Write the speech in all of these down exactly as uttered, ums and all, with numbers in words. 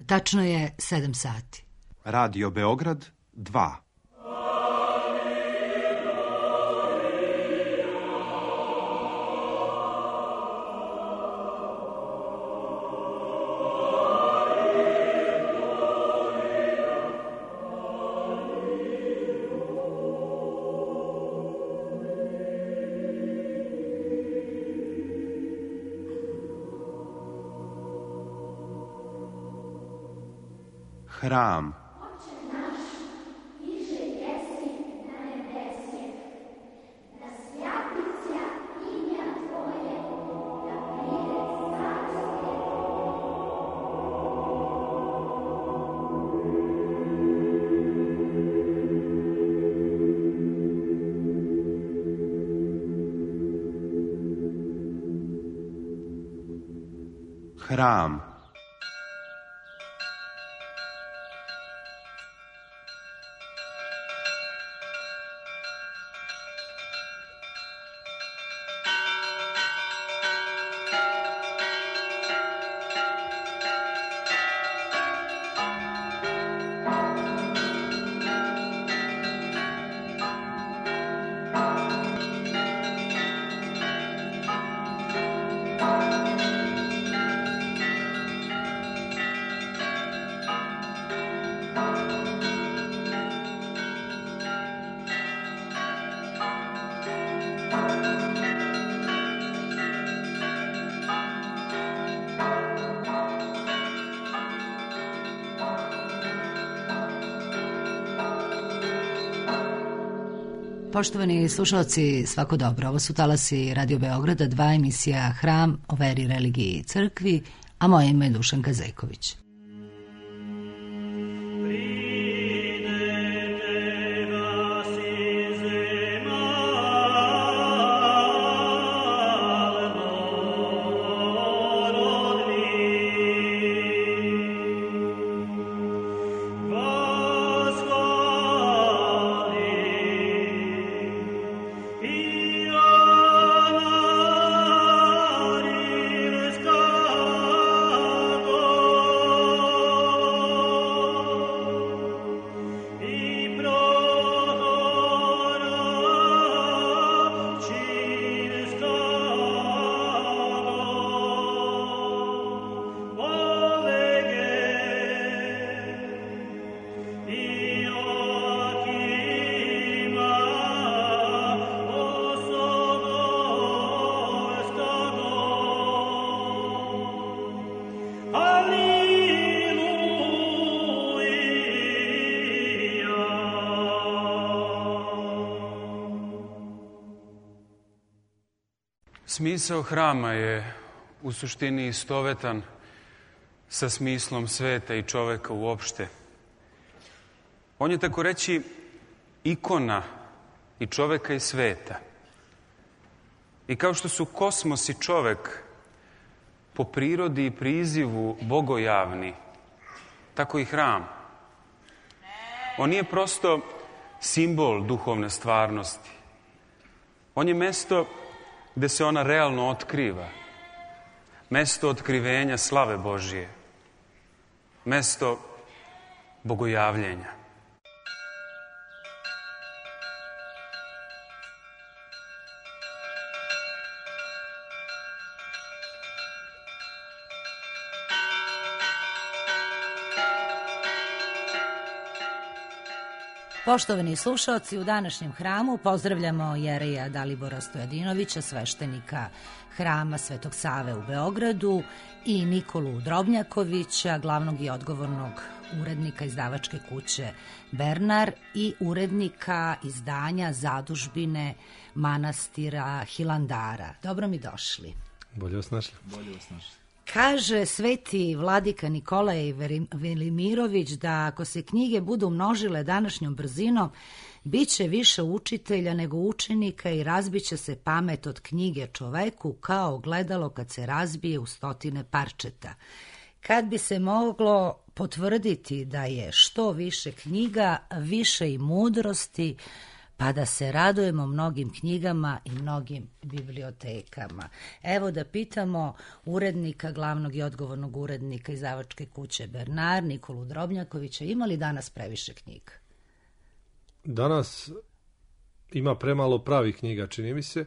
Tačno je sedam sati. Radio Beograd dva. Hram. Hram. Poštovani slušalci, svako dobro. Ovo su talasi Radio Beograda, dva, emisija Hram o veri, religiji i crkvi, a moje ime je Dušanka Zejković. Smisao hrama je u suštini istovetan sa smislom sveta i čoveka uopšte. On je, tako reći, ikona i čoveka i sveta. I kao što su kosmos i čovek po prirodi i prizivu bogojavni, tako i hram. On nije prosto simbol duhovne stvarnosti. On je mesto gde se ona realno otkriva. Mesto otkrivenja slave Božije. Mesto bogojavljenja. Poštovani slušaoci, u današnjem hramu pozdravljamo jereja Dalibora Stojadinovića, sveštenika Hrama Svetog Save u Beogradu, i Nikolu Drobnjakovića, glavnog i odgovornog urednika izdavačke kuće Bernar i urednika izdanja Zadužbine manastira Hilandara. Dobro mi došli. Bolje vas našli. Bolje vas našli. Kaže sveti vladika Nikolaj Velimirović da ako se knjige budu množile današnjom brzinom, bit će više učitelja nego učenika i razbiće se pamet od knjige čoveku kao gledalo kad se razbije u stotine parčeta. Kad bi se moglo potvrditi da je što više knjiga, više i mudrosti, pa da se radujemo mnogim knjigama i mnogim bibliotekama. Evo da pitamo urednika, glavnog i odgovornog urednika izdavačke kuće Bernard, Nikolu Drobnjakovića, ima li danas previše knjiga? Danas ima premalo pravih knjiga, čini mi se,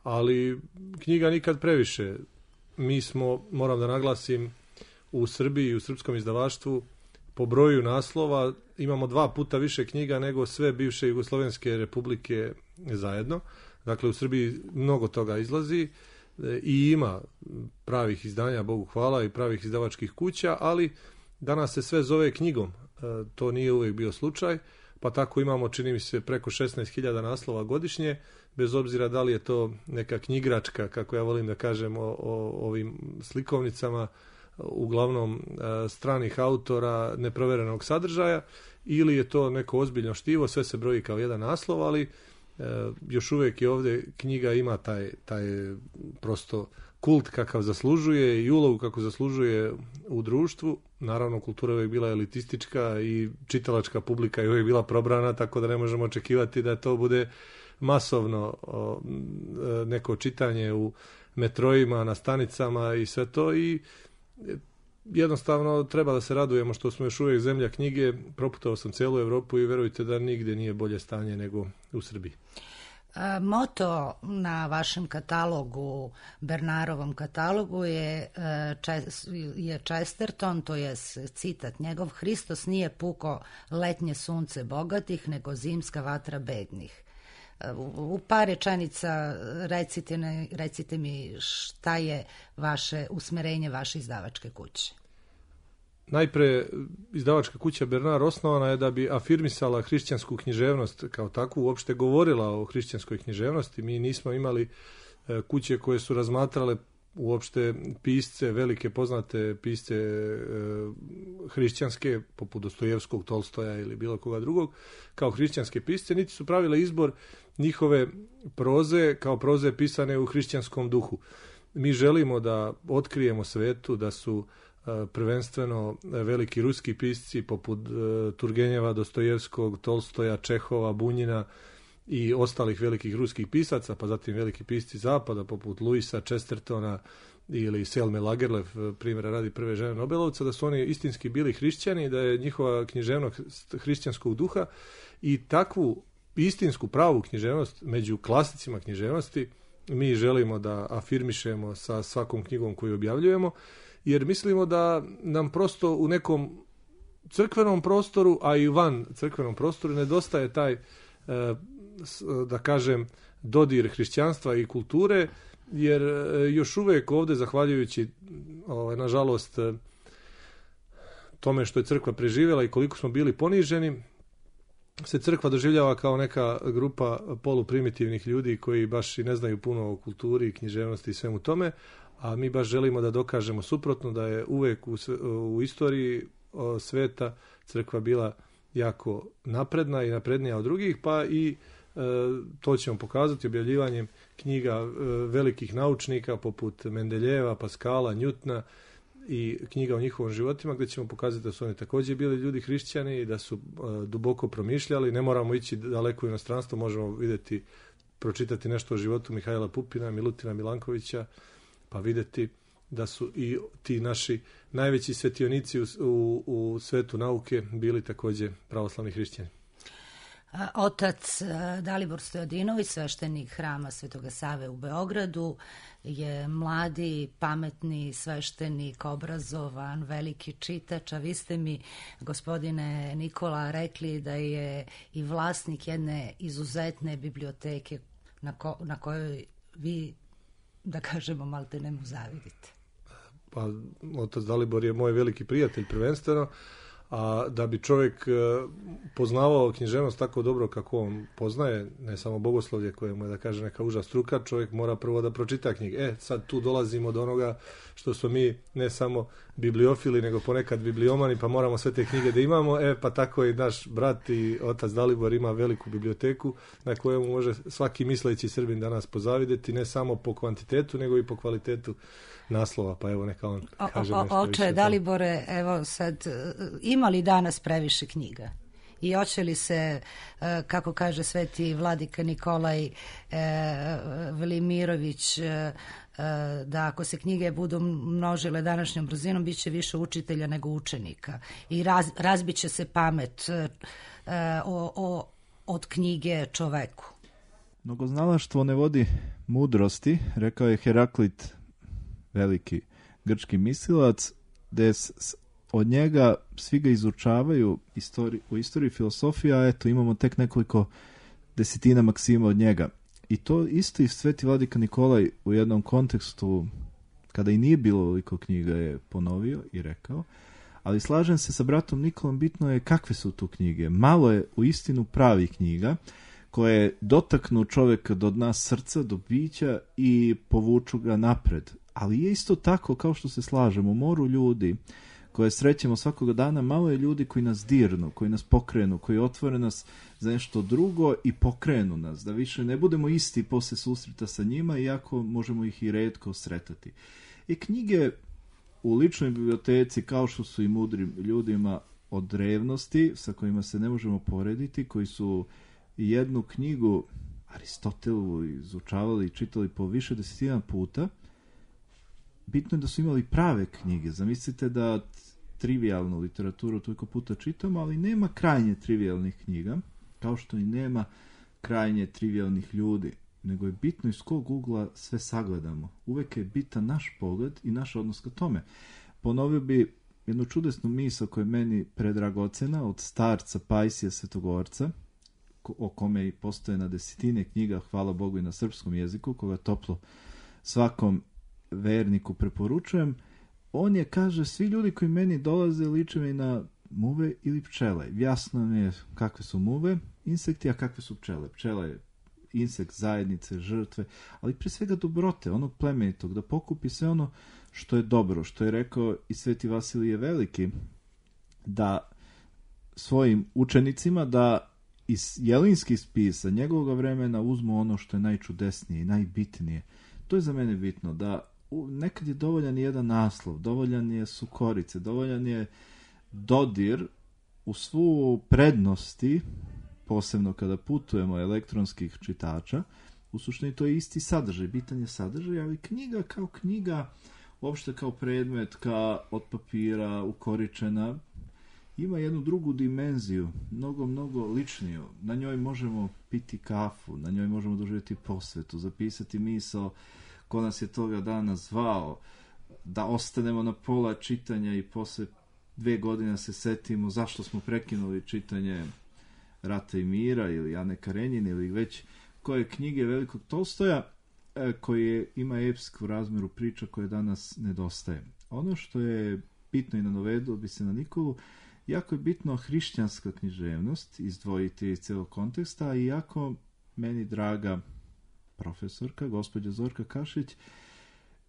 ali knjiga nikad previše. Mi smo, moram da naglasim, u Srbiji i u srpskom izdavaštvu po broju naslova imamo dva puta više knjiga nego sve bivše jugoslovenske republike zajedno. Dakle, u Srbiji mnogo toga izlazi i ima pravih izdanja, Bogu hvala, i pravih izdavačkih kuća, ali danas se sve zove knjigom. To nije uvijek bio slučaj, pa tako imamo, čini mi se, preko šesnaest hiljada naslova godišnje, bez obzira da li je to neka knjigračka, kako ja volim da kažem o, o ovim slikovnicama, uglavnom stranih autora, neproverenog sadržaja, ili je to neko ozbiljno štivo, sve se broji kao jedan naslov, ali e, još uvijek i ovdje knjiga ima taj, taj prosto kult kakav zaslužuje i ulogu kako zaslužuje u društvu. Naravno, kultura je uvijek bila elitistička i čitalačka publika je uvijek bila probrana, tako da ne možemo očekivati da to bude masovno o, neko čitanje u metrojima, na stanicama i sve to, i jednostavno treba da se radujemo što smo još uvijek zemlja knjige. Proputao sam cijelu Evropu i verujte da nigdje nije bolje stanje nego u Srbiji. Moto na vašem katalogu, Bernarovom katalogu, je, je Chesterton, to je citat njegov: Hristos nije puko letnje sunce bogatih, nego zimska vatra bednih. U par rečenica recite, recite mi šta je vaše usmerenje, vaše izdavačke kuće. Najpre, izdavačka kuća Bernard osnovana je da bi afirmisala hrišćansku književnost kao takvu, uopšte govorila o hrišćanskoj književnosti. Mi nismo imali kuće koje su razmatrale uopšte pisce, velike poznate pisce e, hrišćanske, poput Dostojevskog, Tolstoja ili bilo koga drugog, kao hrišćanske pisce, niti su pravile izbor njihove proze kao proze pisane u hrišćanskom duhu. Mi želimo da otkrijemo svetu da su e, prvenstveno veliki ruski pisci poput e, Turgenjeva, Dostojevskog, Tolstoja, Čehova, Bunjina i ostalih velikih ruskih pisaca, pa zatim veliki pisci zapada poput Luisa, Chestertona ili Selme Lagerlöf, primjera radi prve žene Nobelovca, da su oni istinski bili hrišćani, da je njihova književnost hrišćanskog duha, i takvu istinsku pravu književnost među klasicima književnosti mi želimo da afirmišemo sa svakom knjigom koju objavljujemo, jer mislimo da nam prosto u nekom crkvenom prostoru, a i van crkvenom prostoru nedostaje taj, da kažem, dodir hrišćanstva i kulture, jer još uvijek ovdje, zahvaljujući ovaj, nažalost tome što je crkva preživjela i koliko smo bili poniženi, se crkva doživljava kao neka grupa poluprimitivnih ljudi koji baš i ne znaju puno o kulturi, književnosti i svemu tome, a mi baš želimo da dokažemo suprotno, da je uvijek u, u istoriji sveta crkva bila jako napredna i naprednija od drugih, pa i e, to ćemo pokazati objavljivanjem knjiga e, velikih naučnika poput Mendeljeva, Paskala, Njutna i knjiga o njihovim životima, gdje ćemo pokazati da su oni također bili ljudi hrišćani i da su e, duboko promišljali. Ne moramo ići daleko u inostranstvo, možemo vidjeti, pročitati nešto o životu Mihajla Pupina, Milutina Milankovića, pa vidjeti da su i ti naši najveći svetionici u, u, u svetu nauke bili također pravoslavni hrišćani. Otac Dalibor Stojadinović, sveštenik hrama Svetoga Save u Beogradu, je mladi, pametni sveštenik, obrazovan, veliki čitač, a vi ste mi, gospodine Nikola, rekli da je i vlasnik jedne izuzetne biblioteke na, ko, na kojoj vi, da kažemo, malte ne mu zavidite. Pa, otac Dalibor je moj veliki prijatelj prvenstveno, a da bi čovjek poznavao književnost tako dobro kako on poznaje, ne samo bogoslovlje koje mu je, da kaže, neka uža struka, čovjek mora prvo da pročita knjige. E, sad tu dolazimo do onoga što smo mi ne samo bibliofili, nego ponekad bibliomani, pa moramo sve te knjige da imamo. E, pa tako i naš brat i otac Dalibor ima veliku biblioteku na kojemu može svaki misleći Srbin danas pozavideti, ne samo po kvantitetu, nego i po kvalitetu naslova, pa evo neka on kaže o, o, nešto oče, više. Dalibore, evo sad, ima li danas previše knjiga? i hoće li se, kako kaže sveti vladika Nikolaj Velimirović, da ako se knjige budu množile današnjom brzinom, bit će više učitelja nego učenika i raz, razbit će se pamet o, o, od knjige čoveku. Mnogoznalaštvo ne vodi mudrosti, rekao je Heraklit, veliki grčki mislilac, da od njega svi ga izučavaju istori, u istoriji filosofije, a eto imamo tek nekoliko desetina maksima od njega. I to isto i sveti vladika Nikolaj u jednom kontekstu, kada i nije bilo veliko knjiga, je ponovio i rekao, ali slažem se sa bratom Nikolom, bitno je kakve su tu knjige. Malo je u istinu pravih knjiga, koje dotaknu čovjeka do dna srca, do bića i povuču ga napred. Ali je isto tako, kao što se slažemo, u moru ljudi koje srećemo svakoga dana, malo je ljudi koji nas dirnu, koji nas pokrenu, koji otvore nas za nešto drugo i pokrenu nas, da više ne budemo isti posle susreta sa njima, iako možemo ih i retko sretati. I knjige u ličnoj biblioteci, kao što su i mudrim ljudima od drevnosti, sa kojima se ne možemo porediti, koji su jednu knjigu Aristotelu izučavali i čitali po više desetina puta, bitno je da su imali prave knjige. Zamislite da trivialnu literaturu toliko puta čitamo, ali nema krajnje trivialnih knjiga, kao što i nema krajnje trivialnih ljudi, nego je bitno iz kog ugla sve sagledamo. Uvek je bitan naš pogled i naš odnos ka tome. Ponovio bi jednu čudesnu misao koja je meni predragocena od starca Pajsija Svetogorca, o kome i postoje na desetine knjiga, hvala Bogu i na srpskom jeziku, koga toplo svakom verniku preporučujem. On je, kaže, svi ljudi koji meni dolaze liče mi na muve ili pčele. Jasno mi je kakve su muve, insekti, a kakve su pčele. Pčela je insekt zajednice, žrtve, ali pre svega dobrote, onog plemenitog, da pokupi sve ono što je dobro, što je rekao i sveti Vasilije Veliki, da svojim učenicima da iz jelinskih spisa njegovog vremena uzmu ono što je najčudesnije i najbitnije. To je za mene bitno, da nekad je dovoljan jedan naslov, dovoljan je su korice, dovoljan je dodir u svu prednosti, posebno kada putujemo elektronskih čitača. U suštini to je isti sadržaj, bitan je sadržaj, ali knjiga kao knjiga, uopšte kao predmet, kao od papira, ukoričena, ima jednu drugu dimenziju, mnogo, mnogo ličniju. Na njoj možemo piti kafu, na njoj možemo doživjeti posvetu, zapisati misao ko nas je toga dana zvao, da ostanemo na pola čitanja i posle dve godine se setimo zašto smo prekinuli čitanje Rata i mira ili Ane Karenjine ili već koje knjige velikog Tolstoja, koje ima epsku razmeru priča koje danas nedostaje. Ono što je bitno i nanovedilo bi se na Nikolu, jako je bitno hrišćanska književnost, izdvojiti iz celog konteksta, i jako meni draga profesorka, gospođa Zorka Kašić,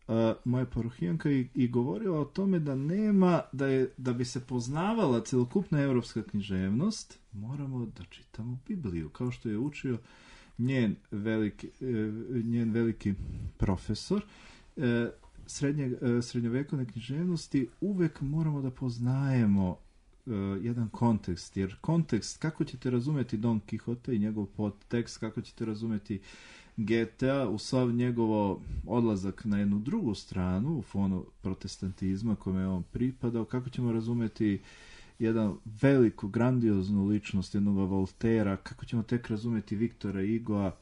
uh, moja parohijanka, i, i govorila o tome da nema, da, je, da bi se poznavala celokupna evropska književnost, moramo da čitamo Bibliju, kao što je učio njen veliki, njen veliki profesor srednje, srednjovekovne književnosti. Uvek moramo da poznajemo jedan kontekst, jer kontekst, kako ćete razumeti Don Quixote i njegov podtekst, kako ćete razumeti G T A u sav njegovo odlazak na jednu drugu stranu u fonu protestantizma kome je on pripadao, kako ćemo razumeti jedan veliku, grandioznu ličnost jednog Voltera, kako ćemo tek razumeti Viktora Igoa,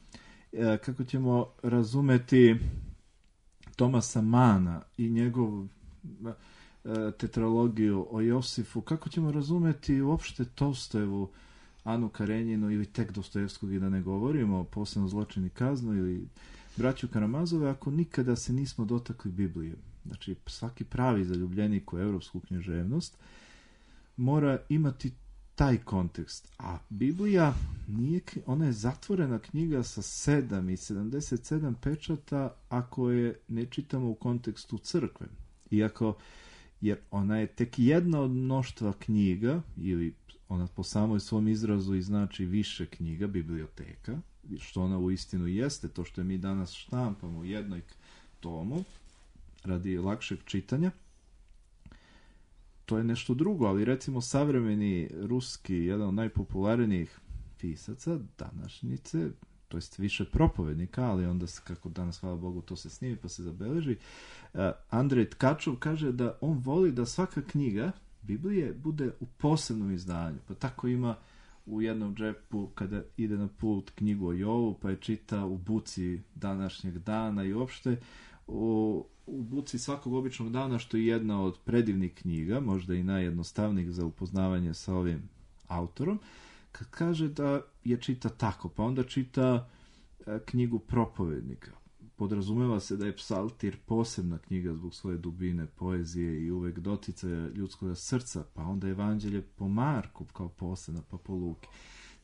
kako ćemo razumeti Tomasa Mana i njegovu tetralogiju o Josifu, kako ćemo razumeti uopšte Tolstojevu Anu Karenjinu ili tek Dostojevskog, i da ne govorimo, posebno Zločin i kaznu ili braću Karamazove, ako nikada se nismo dotakli Biblije. Znači, svaki pravi zaljubljenik u evropsku književnost mora imati taj kontekst. A Biblija nije, ona je zatvorena knjiga sa sedam i sedamdeset sedam pečata ako je ne čitamo u kontekstu crkve. Iako, jer ona je tek jedna od mnoštva knjiga, ili ona po samoj svom izrazu i znači više knjiga, biblioteka, što ona u istinu jeste, to što je mi danas štampamo u jednoj tomu, radi lakšeg čitanja. to je nešto drugo, ali recimo savremeni ruski, jedan od najpopularnijih pisaca današnjice, to jest više propovednika, ali onda se, kako danas, hvala Bogu, to se snimi pa se zabeleži, uh, Andrej Tkačov kaže da on voli da svaka knjiga Biblije bude u posebnom izdanju, pa tako ima u jednom džepu kada ide na put knjigu o Jovu, pa je čita u buci današnjeg dana i uopšte u, u buci svakog običnog dana, što je jedna od predivnih knjiga, možda i najjednostavnijih za upoznavanje sa ovim autorom, kad kaže da je čita tako, pa onda čita e, knjigu propovednika. Podrazumeva se da je psaltir posebna knjiga zbog svoje dubine, poezije i uvek doticaja ljudskog srca, pa onda evanđelje po Marku kao posebna, pa po Luki.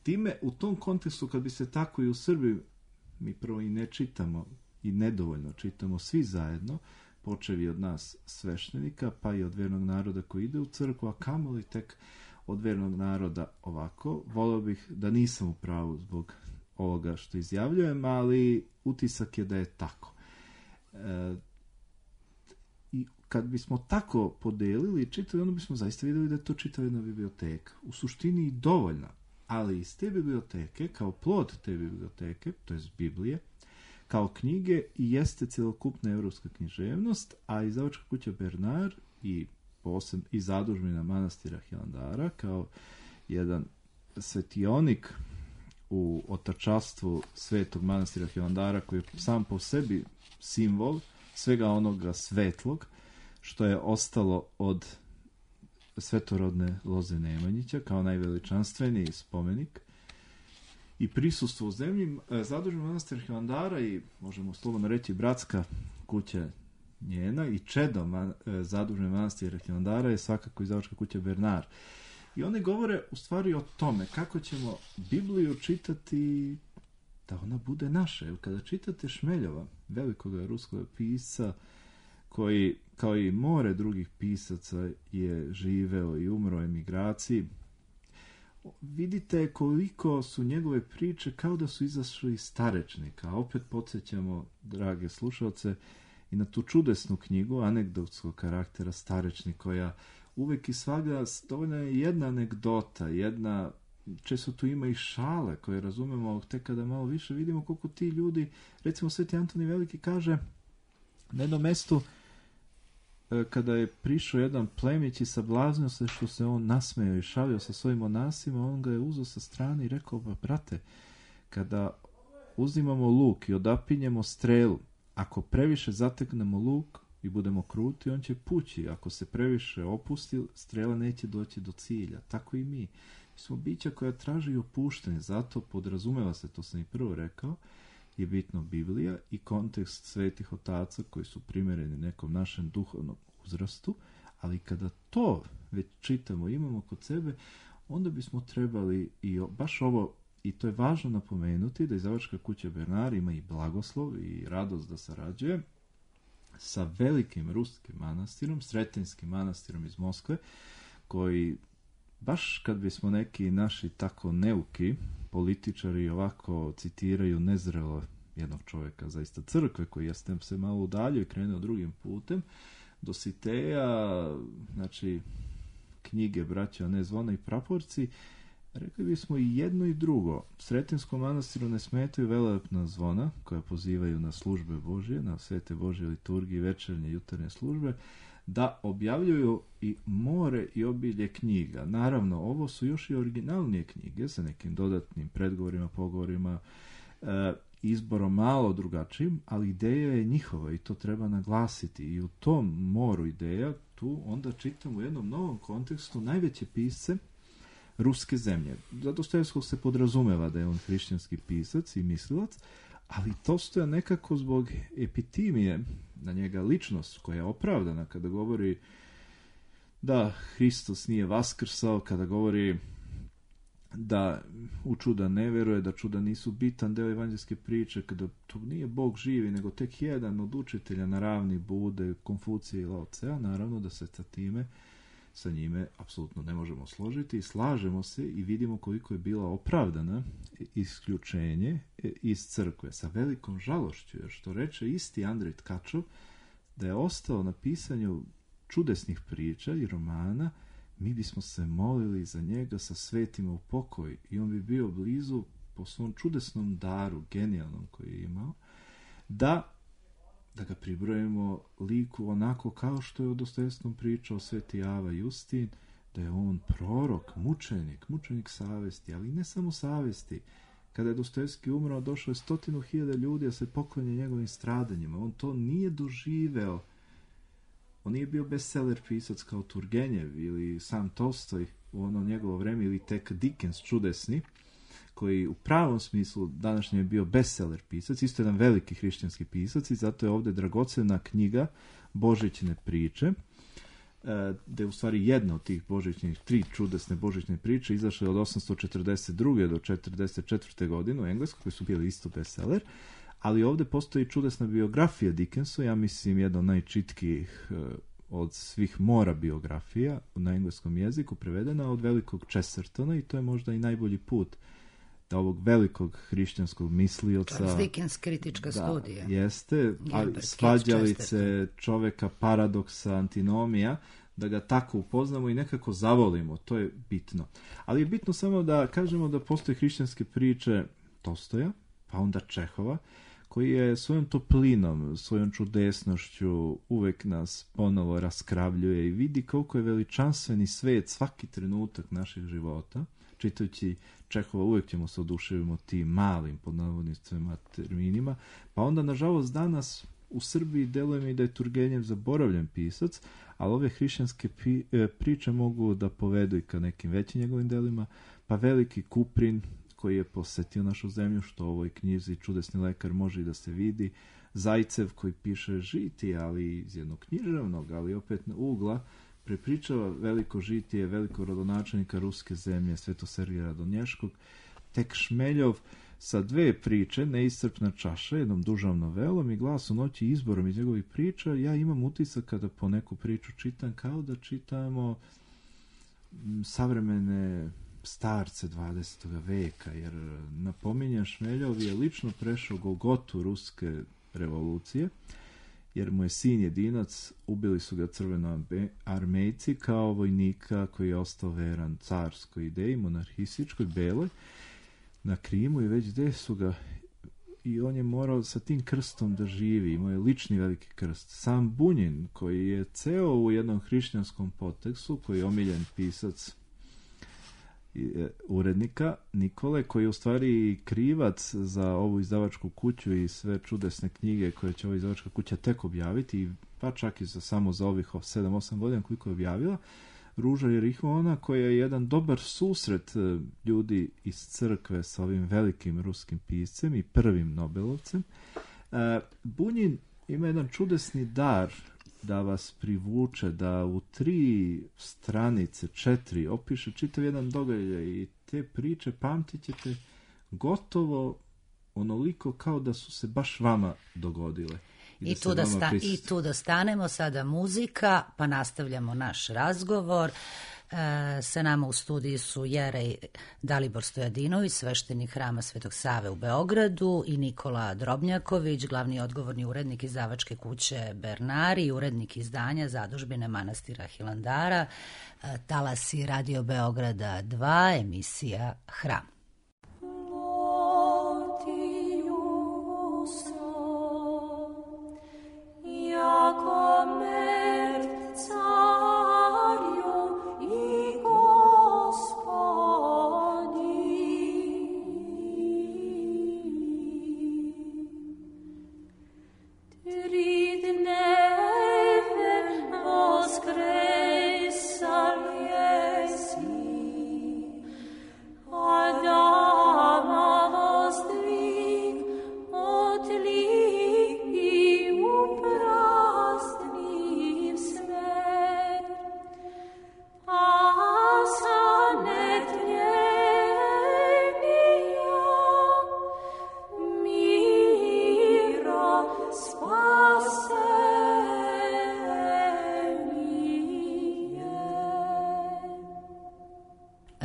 Time, u tom kontekstu, kad bi se tako i u Srbiji, mi prvo i ne čitamo, i nedovoljno čitamo svi zajedno, počevi od nas sveštenika, pa i od vernog naroda koji ide u crkvu, a kamoli tek od vernog naroda ovako. Volio bih da nisam u pravu zbog ovoga što izjavljujem, ali utisak je da je tako. E, I kad bismo tako podelili i čitali, onda bismo zaista vidjeli da je to čitava jedna biblioteka. U suštini i dovoljna, ali iz te biblioteke, kao plod te biblioteke, to je Biblije, kao knjige i jeste celokupna evropska književnost, a izdavačka kuća Bernard i, poseb, i zadužbina manastira Hilandara kao jedan svetionik u otačastvu svetog manastira Hilandara, koji je sam po sebi simbol svega onoga svetlog što je ostalo od svetorodne loze Nemanjića kao najveličanstveniji spomenik i prisustvo u zemlji. Zadužbina manastira Hilandara i, možemo slobodno reći, bratska kuća njena i čedo man, zadužbine manastira Hilandara je svakako izdavačka kuća Bernard. I oni govore u stvari o tome kako ćemo Bibliju čitati da ona bude naša. Jer kada čitate Šmeljova, velikog ruskog pisca, koji, kao i more drugih pisaca, je živeo i umro u emigraciji, vidite koliko su njegove priče kao da su izašle iz starečnika. Opet podsjećamo, drage slušalce, i na tu čudesnu knjigu anegdotskog karaktera Starečnik, koja uvek i svagda, dovoljna je jedna anegdota, jedna, često tu ima i šale koje razumemo tek kada malo više vidimo koliko ti ljudi, recimo Sveti Antoni Veliki kaže na jednom mestu, kada je prišao jedan plemić i sablaznio se što se on nasmejao i šalio sa svojim monasima, on ga je uzeo sa strane i rekao, ba, brate, kada uzimamo luk i odapinjemo strelu, ako previše zateknemo luk i budemo kruti, on će pući. Ako se previše opusti, strela neće doći do cilja. Tako i mi. Mi smo bića koja traži opuštenje, zato podrazumeva se, to sam i prvo rekao, je bitno Biblija i kontekst svetih otaca koji su primereni nekom našem duhovnom uzrastu, ali kada to već čitamo, imamo kod sebe, onda bismo trebali i baš ovo, i to je važno napomenuti, da izdavačka kuća Bernard ima i blagoslov i radost da sarađuje sa velikim ruskim manastirom, Sretinskim manastirom iz Moskve, koji baš kad bismo neki naši tako neuki političari ovako citiraju nezrelo jednog čovjeka, zaista crkve, koji jeste se malo udaljio i krenuo drugim putem, Dositeja, znači knjige Braća, ne zvona i praporci, rekli bismo i jedno i drugo. Sretinskom manastiru ne smetaju velelepna zvona koja pozivaju na službe Božje, na svete Božje liturgije, večernje, jutarnje službe, da objavljuju i more i obilje knjiga. Naravno, ovo su još i originalnije knjige sa nekim dodatnim predgovorima, pogovorima, e, izborom malo drugačijim, ali ideja je njihova i to treba naglasiti. I u tom moru ideja tu onda čitamo u jednom novom kontekstu najveće pisce ruske zemlje. Za Dostojevskog se podrazumeva da je on hrišćanski pisac i mislilac, ali Tolstoja nekako zbog epitimije na njega ličnost koja je opravdana kada govori da Hristos nije vaskrsao, kada govori da u čuda ne veruje, da čuda nisu bitan deo evanđelske priče, kada to nije Bog živi, nego tek jedan od učitelja na ravni Bude, Konfucija i Lao Tsea, naravno da se sa time, sa njime apsolutno ne možemo složiti i slažemo se i vidimo koliko je bila opravdana isključenje iz crkve sa velikom žalošću, jer što reče isti Andrej Tkačov, da je ostao na pisanju čudesnih priča i romana, mi bismo se molili za njega sa svetima u pokoj i on bi bio blizu po svom čudesnom daru, genijalnom koji je imao, da, da ga pribrojimo liku onako kao što je o Dostojevskom pričao Sveti Ava Justin, da je on prorok, mučenik, mučenik savesti, ali ne samo savesti. Kada je Dostojevski umrao, došlo je stotinu hiljada ljudi da se poklonje njegovim stradanjima. On to nije doživeo. On nije bio bestseller pisac kao Turgenjev ili sam Tolstoj u ono njegovo vreme, ili tek Dickens čudesni, koji u pravom smislu današnje je bio bestseller pisac, isto jedan veliki hrišćanski pisac, i zato je ovdje dragocena knjiga Božićne priče, da je u stvari jedna od tih božićnih, tri čudesne božićne priče izašle od osamsto četrdeset druge do četrdeset četvrte godine u Engleskoj, koji su bili isto bestseller, ali ovdje postoji čudesna biografija Dickensa, ja mislim jedna od najčitkijih od svih mora biografija na engleskom jeziku, prevedena od velikog Chestertona, i to je možda i najbolji put da ovog velikog hrišćanskog mislioca... Charles Dickens, kritička da, studija. Jeste, ali svađalice čoveka, paradoksa, antinomija, da ga tako upoznamo i nekako zavolimo, to je bitno. Ali je bitno samo da kažemo da postoje hrišćanske priče Tolstoja, pa onda Čehova, koji je svojom toplinom, svojom čudesnošću uvek nas ponovo raskravljuje i vidi koliko je veličanstveni svet svaki trenutak naših života. Čitajući Čehova uvek ćemo se oduševimo tim malim, pod navodnicima, terminima, pa onda, nažalost, danas u Srbiji deluje mi da je Turgenjev zaboravljen pisac, ali ove hrišćanske pi, e, priče mogu da povedu i ka nekim većim njegovim delima, pa veliki Kuprin, koji je posetio našu zemlju, što u ovoj knjizi Čudesni lekar može i da se vidi, Zajcev koji piše žitije, ali iz jednog književnog, ali opet na ugla, prepričava veliko žitije, veliko rodonačelnika ruske zemlje, Svetossergija Radonješkog, tek Šmeljov sa dve priče, Neiscrpna čaša, jednom dužom novelom i Glas u noći, izborom iz njegovih priča. Ja imam utisak kada po neku priču čitam, kao da čitamo savremene starce dvadesetog veka, jer napominjem, Šmeljov je lično prešao Golgotu ruske revolucije, jer mu je sin jedinac, ubili su ga crvenoarmejci kao vojnika koji je ostao veran carskoj ideji, monarhističkoj, beloj, na Krimu, i već gde su ga, i on je morao sa tim krstom da živi, imao je lični veliki krst. Sam Bunjin, koji je ceo u jednom hrišćanskom podtekstu, koji je omiljen pisac urednika Nikole, koji je u stvari krivac za ovu izdavačku kuću i sve čudesne knjige koje će ova izdavačka kuća tek objaviti, pa čak i za, samo za ovih sedam osam godina koliko je objavila. Ruža Jerihona, koja je jedan dobar susret ljudi iz crkve sa ovim velikim ruskim piscem i prvim Nobelovcem. Bunjin ima jedan čudesni dar da vas privuče, da u tri stranice, četiri, opiše čitav jedan događaj, i te priče pamtit ćete gotovo onoliko kao da su se baš vama dogodile. I, I, da tu, da sta, I tu da stanemo, sada muzika, pa nastavljamo naš razgovor. E, sa nama u studiji su Jerej Dalibor Stojadinović, sveštenik Hrama Svetog Save u Beogradu, i Nikola Drobnjaković, glavni odgovorni urednik izdavačke kuće Bernari i urednik izdanja Zadužbine manastira Hilandara. E, talasi Radio Beograda dva, emisija Hram.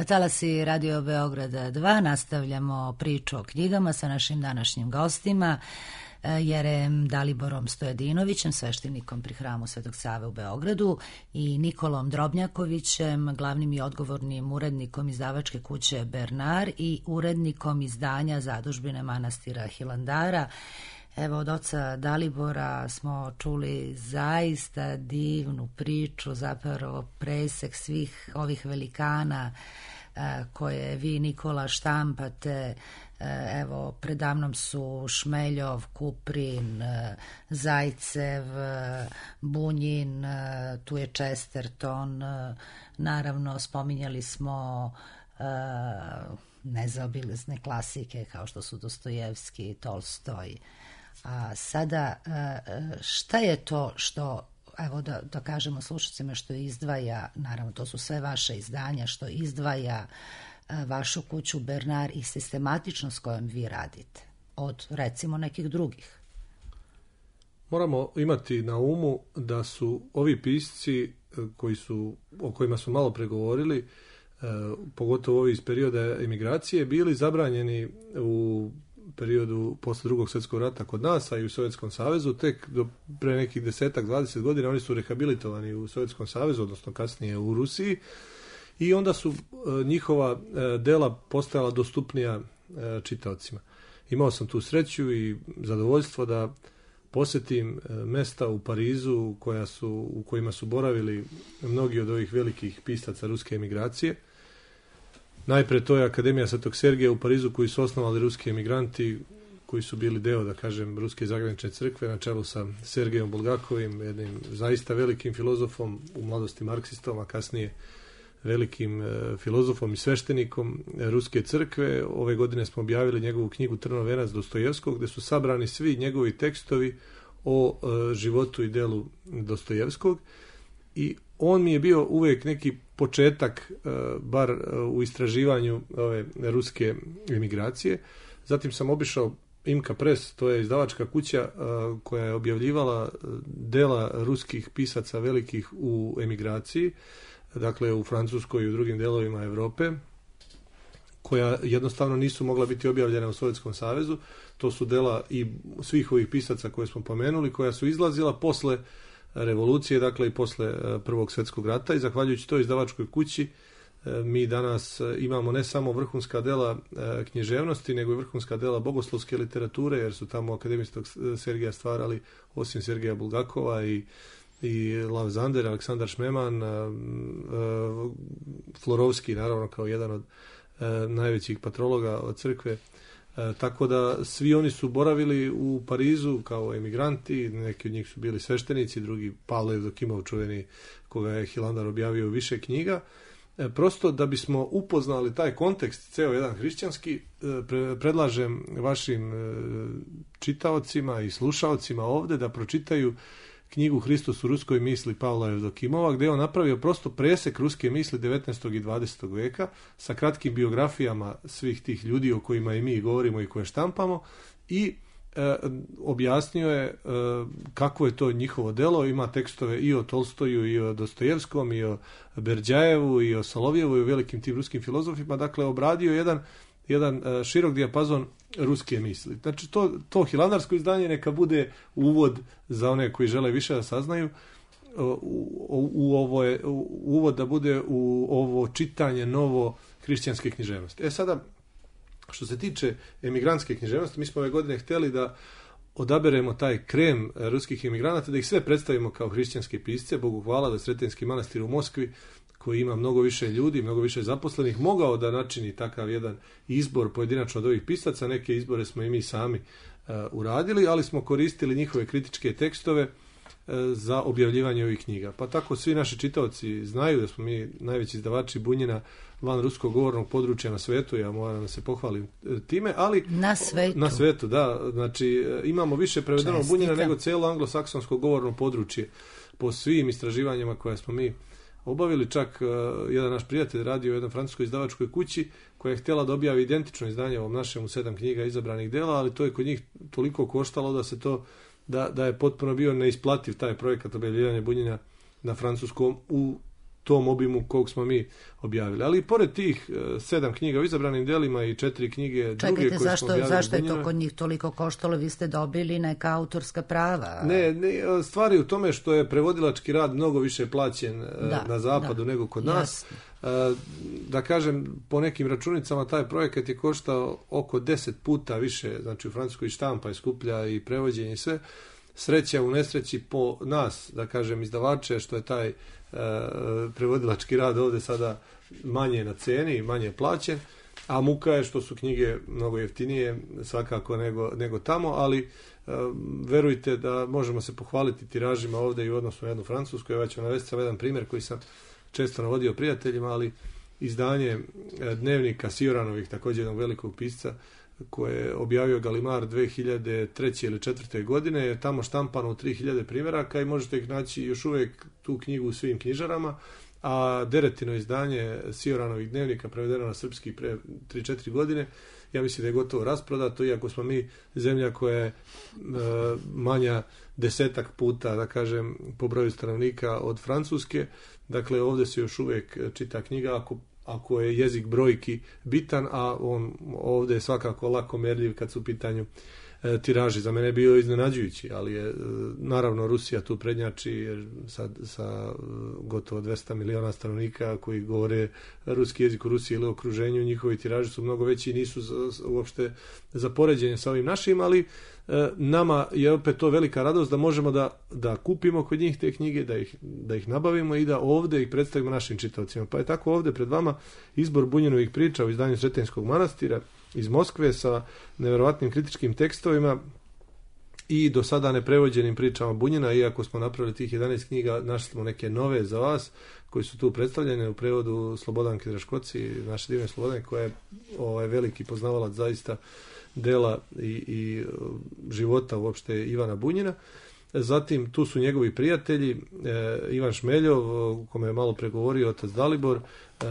Talasi Radio Beograda dva, nastavljamo priču o knjigama sa našim današnjim gostima. Jerejem Daliborom Stojadinovićem, sveštenikom pri hramu Svetog Save u Beogradu, i Nikolom Drobnjakovićem, glavnim i odgovornim urednikom izdavačke kuće Bernard i urednikom izdanja Zadužbine manastira Hilandara. Evo, od oca Dalibora smo čuli zaista divnu priču, zapravo presek svih ovih velikana koje vi, Nikola, štampate. Evo, predamnom su Šmeljov, Kuprin, Zajcev, Bunjin, tu je Chesterton, naravno spominjali smo nezaobilazne klasike kao što su Dostojevski, Tolstoj. A sada, šta je to što, evo da, da kažemo slušacima, što izdvaja, naravno to su sve vaše izdanja, što izdvaja vašu kuću Bernard i sistematičnost s kojom vi radite od, recimo, nekih drugih? Moramo imati na umu da su ovi pisci koji su, o kojima smo malo pregovorili, pogotovo ovi iz perioda emigracije, bili zabranjeni u periodu posle drugog svjetskog rata kod nas, a i u Sovjetskom savezu. Tek do pre nekih desetak, dvadeset godina oni su rehabilitovani u Sovjetskom savezu, odnosno kasnije u Rusiji, i onda su njihova dela postajala dostupnija čitaocima. Imao sam tu sreću i zadovoljstvo da posjetim mesta u Parizu koja su, u kojima su boravili mnogi od ovih velikih pisaca ruske emigracije. Najpre to je Akademija Svetog Sergeja u Parizu, koju su osnovali ruski emigranti, koji su bili deo, da kažem, Ruske zagranične crkve na čelu sa Sergejom Bulgakovim, jednim zaista velikim filozofom, u mladosti marksistom, a kasnije velikim e, filozofom i sveštenikom Ruske crkve. Ove godine smo objavili njegovu knjigu Trnov venac Dostojevskog, gde su sabrani svi njegovi tekstovi o e, životu i delu Dostojevskog. I on mi je bio uvijek neki početak, e, bar e, u istraživanju ove ruske emigracije. Zatim sam obišao Imka Press, to je izdavačka kuća e, koja je objavljivala dela ruskih pisaca velikih u emigraciji, dakle u Francuskoj i u drugim delovima Europe, koja jednostavno nisu mogla biti objavljena u Sovjetskom savezu. To su dela i svih ovih pisaca koje smo pomenuli, koja su izlazila posle revolucije, dakle i posle Prvog svjetskog rata, i zahvaljujući toj izdavačkoj kući mi danas imamo ne samo vrhunska dela književnosti, nego i vrhunska dela bogoslovske literature, jer su tamo Akademiji Svetog Sergeja stvarali, osim Sergeja Bulgakova, i i Lav Zander, Aleksandar Šmeman, Florovski, naravno, kao jedan od najvećih patrologa od crkve. Tako da svi oni su boravili u Parizu kao emigranti, neki od njih su bili sveštenici, drugi Pavle Evdokimov, čuveni, koga je Hilandar objavio u više knjiga. Prosto da bismo upoznali taj kontekst, ceo jedan hrišćanski, predlažem vašim čitaocima i slušaocima ovde da pročitaju knjigu Hristos u ruskoj misli Pavla Evdokimova, gdje je on napravio prosto presek ruske misli devetnaestog i dvadesetog veka sa kratkim biografijama svih tih ljudi o kojima i mi govorimo i koje štampamo, i e, objasnio je e, kako je to njihovo delo. Ima tekstove i o Tolstoju, i o Dostojevskom, i o Berdjajevu, i o Solovjevu, i o velikim tim ruskim filozofima. Dakle, obradio jedan jedan širok dijapazon ruske misli. Znači, to, to hilandarsko izdanje neka bude uvod za one koji žele više da saznaju, u, u ovo je, u, uvod da bude u ovo čitanje novo hrišćanske književnosti. E sada, što se tiče emigrantske književnosti, mi smo ove godine htjeli da odaberemo taj krem ruskih emigranata, da ih sve predstavimo kao hrišćanske pisce. Bogu hvala da Sretenski manastir u Moskvi, koji ima mnogo više ljudi, mnogo više zaposlenih, mogao da načini takav jedan izbor pojedinačno od ovih pisaca. Neke izbore smo i mi sami uh, uradili, ali smo koristili njihove kritičke tekstove uh, za objavljivanje ovih knjiga. Pa tako svi naši čitaoci znaju da smo mi najveći izdavači Bunjina van ruskog govornog područja na svetu, ja moram da se pohvalim time, ali na svetu, na svetu da, znači imamo više prevedenog Bunjina nego cijelo anglosaksonsko govorno područje po svim istraživanjima koje smo mi obavili. Čak uh, jedan naš prijatelj radio u jednoj francuskoj izdavačkoj kući koja je htjela da objavi identično izdanje ovom našem u sedam knjiga izabranih dela, ali to je kod njih toliko koštalo da se to da, da je potpuno bio neisplativ taj projekat objavljivanja Bunjina na francuskom u tom obimu kog smo mi objavili. Ali i pored tih uh, sedam knjiga u izabranim delima i četiri knjige druge Čekajte, koje zašto, smo objavili... zašto je to Bunjinove, kod njih toliko koštalo? Vi ste dobili neka autorska prava. Ne, ne, stvari u tome što je prevodilački rad mnogo više plaćen da, na zapadu da, nego kod nas. Jasno. Da kažem, po nekim računicama taj projekat je koštao oko deset puta više, znači u Francuskoj štampa je skuplja i prevođenje i sve. Sreća u nesreći po nas, da kažem, izdavače, što je taj e, prevodilački rad ovdje sada manje na ceni, manje plaćen, a muka je što su knjige mnogo jeftinije svakako nego, nego tamo, ali e, verujte da možemo se pohvaliti tiražima ovdje i u odnosu na jednu francusku. Ja ću navesti sam jedan primjer koji sam često navodio prijateljima, ali izdanje dnevnika Sioranovih, također jednog velikog pisca, koje je objavio Galimar dve hiljade treće ili četvrte godine, je tamo štampano u tri hiljade primjeraka i možete ih naći još uvijek tu knjigu u svim knjižarama, a Deretino izdanje Sioranovih dnevnika prevedeno na srpski pre tri četiri godine, ja mislim da je gotovo rasprodato, iako smo mi zemlja koja je e, manja desetak puta, da kažem, po broju stanovnika od Francuske. Dakle, ovdje se još uvijek čita knjiga ako, ako je jezik brojki bitan, a on ovdje je svakako lako merljiv kad su u pitanju e, tiraži. Za mene je bio iznenađujući, ali je e, naravno Rusija tu prednjači jer sa, sa e, gotovo dvesta miliona stanovnika koji govore ruski jezik u Rusiji ili u okruženju, njihovi tiraži su mnogo veći i nisu za, uopšte za poređenje sa ovim našim, ali e, nama je opet to velika radost da možemo da, da kupimo kod njih te knjige, da ih, da ih nabavimo i da ovdje ih predstavimo našim čitaocima. Pa je tako ovdje pred vama izbor Bunjinovih priča u izdanju Sretenjskog manastira iz Moskve sa nevjerovatnim kritičkim tekstovima i do sada neprevođenim pričama Bunjina, iako smo napravili tih jedanaest knjiga, našli smo neke nove za vas koji su tu predstavljene u prevodu Slobodanke Draškoci, naše divne Slobodanke, koja je ovaj, veliki poznavalac zaista dela i, i života uopšte Ivana Bunjina. Zatim tu su njegovi prijatelji, e, Ivan Šmeljov, o kome je malo pregovorio otac Dalibor, e,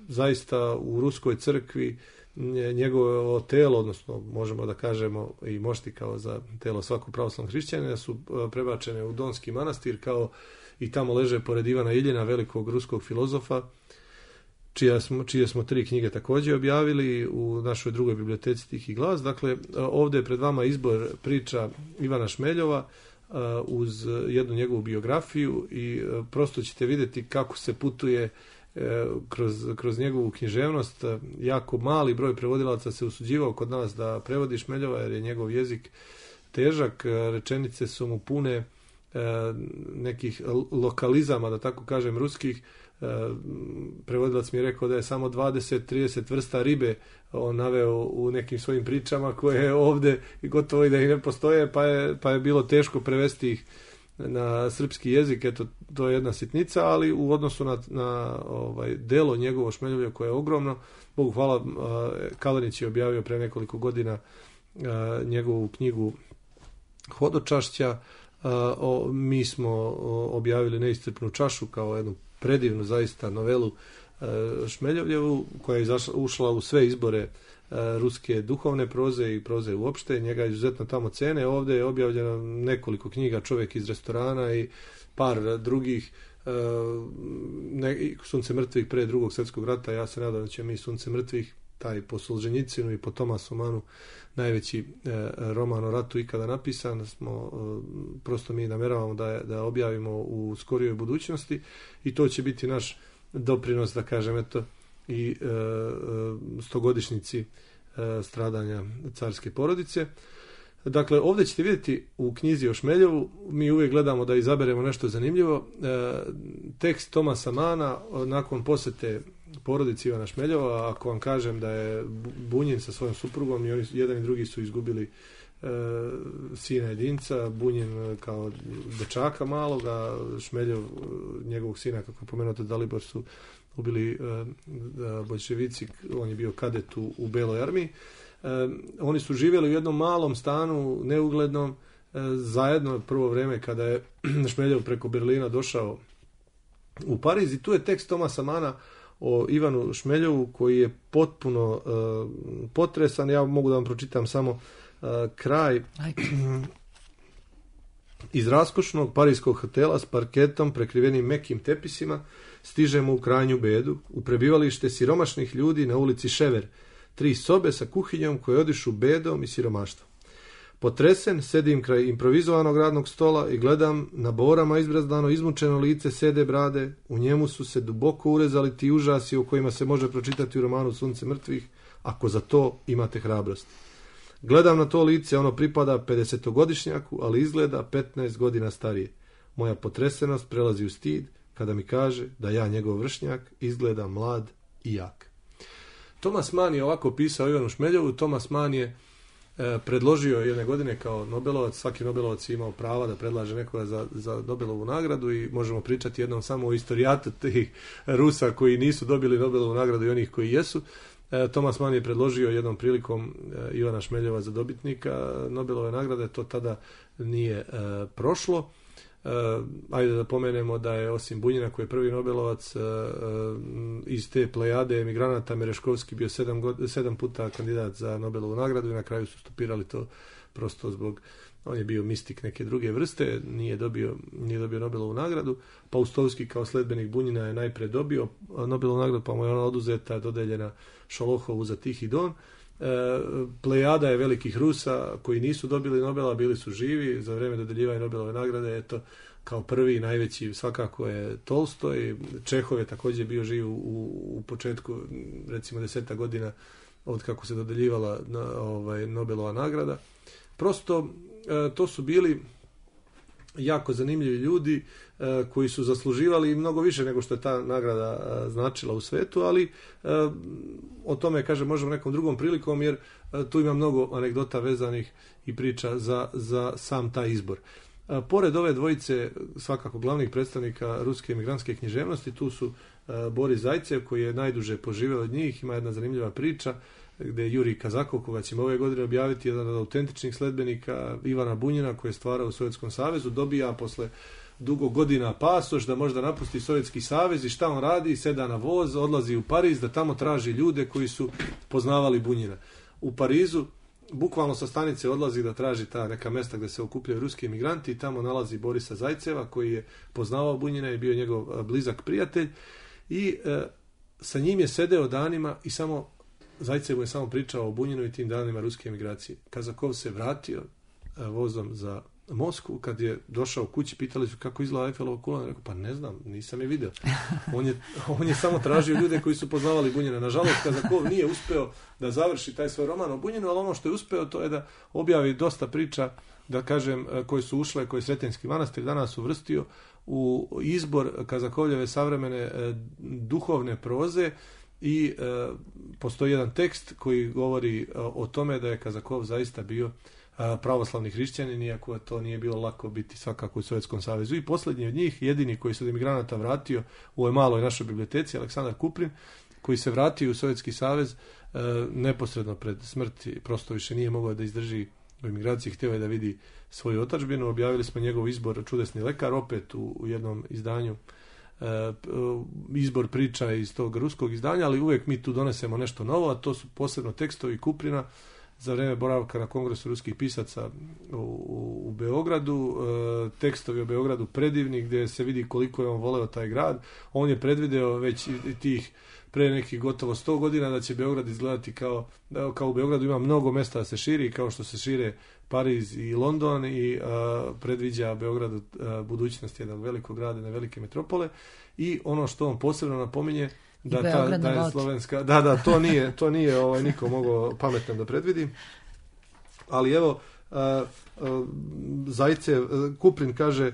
zaista u Ruskoj crkvi njegovo telo, odnosno možemo da kažemo i mošti kao za telo svakog pravoslavnog hrišćanina, su prebačene u Donski manastir kao i tamo leže pored Ivana Iljina, velikog ruskog filozofa, čija smo, čije smo tri knjige također objavili u našoj drugoj biblioteci Tih i glas. Dakle, ovdje je pred vama izbor priča Ivana Šmeljova uz jednu njegovu biografiju i prosto ćete vidjeti kako se putuje kroz, kroz njegovu književnost. Jako mali broj prevodilaca se usuđivao kod nas da prevodi Šmeljova jer je njegov jezik težak, rečenice su mu pune nekih lokalizama, da tako kažem, ruskih. Prevodilac mi je rekao da je samo dvadeset do trideset vrsta ribe on naveo u nekim svojim pričama koje je ovdje i gotovo i da ih ne postoje, pa je, pa je bilo teško prevesti ih na srpski jezik. Eto, to je jedna sitnica, ali u odnosu na, na ovaj delo njegovo Šmeljovlje koje je ogromno, Bogu hvala, Kalanić je objavio pre nekoliko godina njegovu knjigu Hodočašća. O, mi smo objavili Neiscrpnu čašu kao jednu predivnu zaista novelu Šmeljovljevu koja je izašla, ušla u sve izbore ruske duhovne proze i proze uopšte. Njega izuzetno tamo cene. Ovdje je objavljeno nekoliko knjiga, Čovjek iz restorana i par drugih, ne, Sunce mrtvih pre drugog svjetskog rata. Ja se nadam da će mi Sunce mrtvih, taj po Solženjicinu i po Tomasu Manu, najveći e, roman o ratu ikada napisan, smo e, prosto mi nameravamo da, da objavimo u skorijoj budućnosti i to će biti naš doprinos, da kažem, eto, i e, stogodišnjici e, stradanja carske porodice. Dakle, ovdje ćete vidjeti u knjizi o Šmeljovu, mi uvijek gledamo da izaberemo nešto zanimljivo. E, tekst Tomasa Mana nakon posjete porodici Ivana Šmeljova, ako vam kažem da je Bunjin sa svojom suprugom i oni jedan i drugi su izgubili e, sina jedinca, Bunjin kao dečaka maloga, Šmeljov njegovog sina, kako je pomenuto Dalibor, su ubili e, boljševici, on je bio kadet u, u Beloj armiji. E, oni su živjeli u jednom malom stanu, neuglednom, e, zajedno prvo vrijeme kada je Šmeljov preko Berlina došao u Pariz i tu je tekst Tomasa Mana o Ivanu Šmeljovu koji je potpuno uh, potresan. Ja mogu da vam pročitam samo uh, kraj Iz raskošnog parijskog hotela s parketom prekrivenim mekim tepisima stižemo u krajnju bedu, u prebivalište siromašnih ljudi na ulici Šever, tri sobe sa kuhinjom koje odišu bedom i siromaštvom. Potresen, sedim kraj improvizovanog radnog stola i gledam na borama izbrazdano izmučeno lice Sede Brade, u njemu su se duboko urezali ti užasi o kojima se može pročitati u romanu Sunce mrtvih, ako za to imate hrabrost. Gledam na to lice, ono pripada pedesetogodišnjaku, ali izgleda petnaest godina starije. Moja potresenost prelazi u stid kada mi kaže da ja, njegov vršnjak, izgleda mlad i jak. Thomas Mann je ovako pisao Ivanu Šmeljovu. Thomas Mann je e, predložio jedne godine kao Nobelovac, svaki Nobelovac je imao prava da predlaže nekoga za, za Nobelovu nagradu i možemo pričati jednom samo o istorijatu tih Rusa koji nisu dobili Nobelovu nagradu i onih koji jesu. Thomas Mann je predložio jednom prilikom Ivana Šmeljova za dobitnika Nobelove nagrade, to tada nije e, prošlo. E, ajde da pomenemo da je osim Bunjina koji je prvi Nobelovac e, iz te plejade emigranata Mereškovski bio sedam, god, sedam puta kandidat za Nobelovu nagradu i na kraju su stopirali to prosto zbog, on je bio mistik neke druge vrste, nije dobio, nije dobio Nobelovu nagradu. Paustovski kao sledbenik Bunjina je najpre dobio Nobelovu nagradu, pa mu je ona oduzeta, dodeljena Šolohovu za Tihi Don. E, plejada je velikih Rusa koji nisu dobili Nobela, bili su živi za vrijeme dodeljivanja Nobelove nagrade. Eto, kao prvi najveći svakako je Tolstoj. Čehov je također bio živ u, u početku, recimo deseta godina od kako se dodeljivala na, ovaj, Nobelova nagrada. Prosto e, to su bili jako zanimljivi ljudi e, koji su zasluživali mnogo više nego što je ta nagrada e, značila u svetu, ali e, o tome, kažem, možemo nekom drugom prilikom, jer e, tu ima mnogo anegdota vezanih i priča za, za sam taj izbor. E, pored ove dvojice svakako glavnih predstavnika ruske emigrantske književnosti, tu su e, Boris Zajcev koji je najduže poživio od njih, ima jedna zanimljiva priča gdje Jurij Kazakov, koga ćemo ove godine objaviti, jedan od autentičnih sledbenika Ivana Bunjina koji je stvarao u Sovjetskom savezu, dobija posle dugo godina pasoš da možda napusti Sovjetski savez i šta on radi? Seda na voz, odlazi u Pariz da tamo traži ljude koji su poznavali Bunjina. U Parizu bukvalno sa stanice odlazi da traži ta neka mesta gdje se okupljaju ruski emigranti i tamo nalazi Borisa Zajceva koji je poznavao Bunjina i bio njegov blizak prijatelj i e, sa njim je sedeo danima i samo Zajcev je samo pričao o Bunjinu i tim danima ruske emigracije. Kazakov se vratio e, vozom za Moskvu, kad je došao kući, pitali su kako izgleda Eiffelova kula, on rekao, pa ne znam, nisam je vidio. On je, on je samo tražio ljude koji su poznavali Bunjina. Nažalost, Kazakov nije uspeo da završi taj svoj roman o Bunjinu, ali ono što je uspeo to je da objavi dosta priča, da kažem, koje su ušle, koje je Sretenjski manastir danas uvrstio u izbor Kazakovljeve savremene e, duhovne proze. I e, postoji jedan tekst koji govori e, o tome da je Kazakov zaista bio e, pravoslavni hrišćanin, iako to nije bilo lako biti svakako u Sovjetskom savezu. I posljednji od njih, jedini koji se od emigranata vratio u ovoj maloj našoj biblioteci, Aleksandar Kuprin, koji se vratio u Sovjetski savez e, neposredno pred smrti, prosto više nije mogao da izdrži u emigraciji, htio je da vidi svoju otadžbinu. Objavili smo njegov izbor Čudesni lekar, opet u, u jednom izdanju, izbor priča iz tog ruskog izdanja, ali uvijek mi tu donesemo nešto novo, a to su posebno tekstovi Kuprina za vrijeme boravka na Kongresu ruskih pisaca u, u, u Beogradu. Tekstovi o Beogradu predivni, gdje se vidi koliko je on voleo taj grad. On je predvideo već tih pre nekih gotovo sto godina da će Beograd izgledati kao, kao u Beogradu ima mnogo mesta da se širi, kao što se šire Pariz i London, i a, predviđa Beogradu a, budućnost jednog velikog grada, jedne velike metropole. I ono što on posebno napominje, da ta da je slovenska, da da to nije to nije ovaj niko mogao pametno da predvidi. Ali evo a, a, Zajcev, Kuprin kaže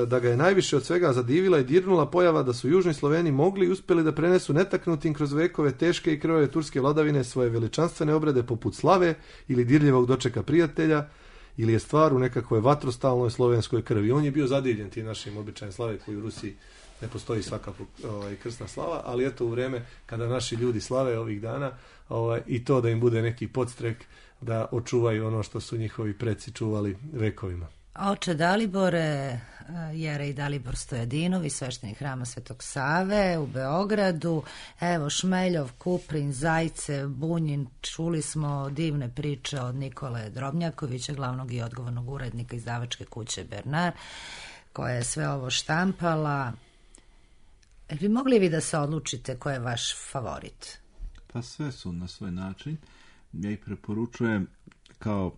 da ga je najviše od svega zadivila i dirnula pojava da su južni Sloveni mogli i uspjeli da prenesu netaknutim kroz vekove teške i krvave turske vladavine svoje veličanstvene obrede poput slave ili dirljivog dočeka prijatelja, ili je stvar u nekakvoj vatrostalnoj slovenskoj krvi. On je bio zadivljen tim našim običajem slave koji u Rusiji ne postoji svakako ovaj, krsna slava, ali eto u vrijeme kada naši ljudi slave ovih dana ovaj, i to da im bude neki podstrek da očuvaju ono što su njihovi preci čuvali vekovima. Oče Dalibore, Jerej Dalibor Stojadinović, sveštenik Hrama Svetog Save u Beogradu. Evo, Šmeljov, Kuprin, Zajce, Bunjin, čuli smo divne priče od Nikole Drobnjakovića, glavnog i odgovornog urednika izdavačke kuće Bernard, koja je sve ovo štampala. Bi mogli vi da se odlučite ko je vaš favorit? Pa sve su na svoj način. Ja ih preporučujem kao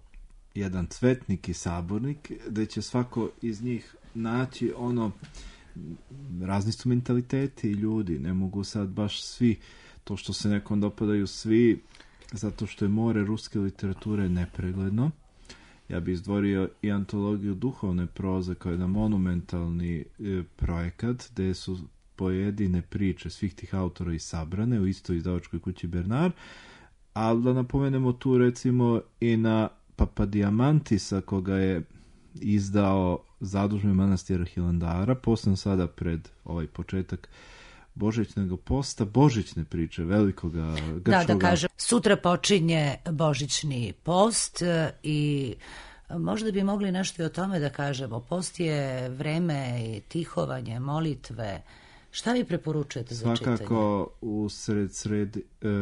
jedan cvetnik i sabornik, da će svako iz njih naći ono, razni su mentaliteti i ljudi, ne mogu sad baš svi, to što se nekom dopadaju svi, zato što je more ruske literature nepregledno. Ja bih izdvorio i antologiju duhovne proze kao jedan monumentalni e, projekat, gde su pojedine priče svih tih autora i sabrane u istoj izdavačkoj kući Bernard, ali da napomenemo tu recimo i na Papadiamantisa, koga je izdao zadužni manastir Hilandara, posebno sada pred ovaj početak božićnog posta, božićne priče velikoga grčkoga... Da, da kažem, sutra počinje božićni post i možda bi mogli nešto i o tome da kažemo. Post je vreme i tihovanje, molitve. Šta vi preporučujete za čitanje? Svakako usred sred,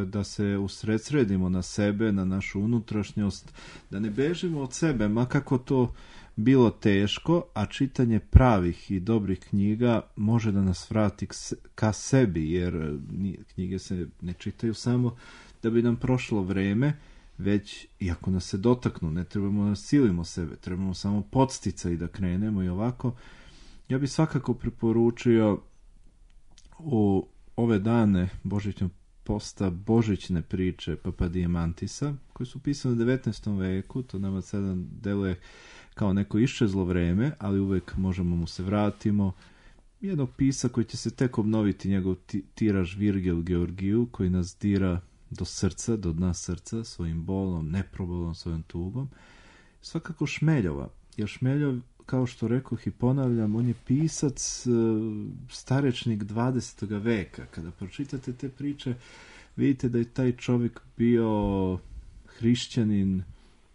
da se usredsredimo na sebe, na našu unutrašnjost, da ne bežimo od sebe, ma kako to bilo teško, a čitanje pravih i dobrih knjiga može da nas vrati ka sebi, jer knjige se ne čitaju samo da bi nam prošlo vreme, već i ako nas se dotaknu, ne trebamo da silimo sebe, trebamo samo podsticaj da krenemo i ovako. Ja bih svakako preporučio u ove dane božićnog posta božićne priče Papadiamantisa, koje su pisane u devetnaestom veku, to nama sada deluje kao neko iščezlo vreme, ali uvek možemo mu se vratimo. Jednog pisa koji će se tek obnoviti, njegov tiraž Virgil Georgiju, koji nas dira do srca, do dna srca, svojim bolom, neprobolom, svojom tugom. Svakako Šmeljova, jer Šmeljov, kao što rekoh i ponavljam, on je pisac, starečnik dvadesetog veka. Kada pročitate te priče, vidite da je taj čovjek bio hrišćanin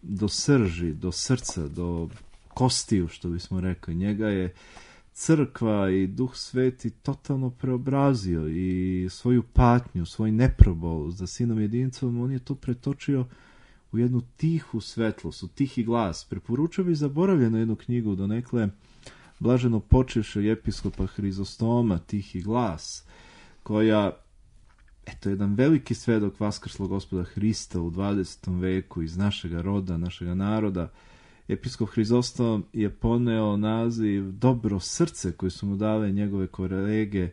do srži, do srca, do kostiju, što bismo rekli. Njega je crkva i Duh Sveti totalno preobrazio i svoju patnju, svoj neprobol za sinom jedincom, on je to pretočio u jednu tihu svetlost, u tihi glas. Preporučio bi zaboravljeno jednu knjigu donekle blaženo počivšeg episkopa Hrizostoma, Tihi glas, koja, eto, jedan veliki svedok vaskrslog Gospoda Hrista u dvadesetom veku iz našega roda, našega naroda. Episkop Hrizostom je poneo naziv Dobro srce, koje su mu dale njegove kolege,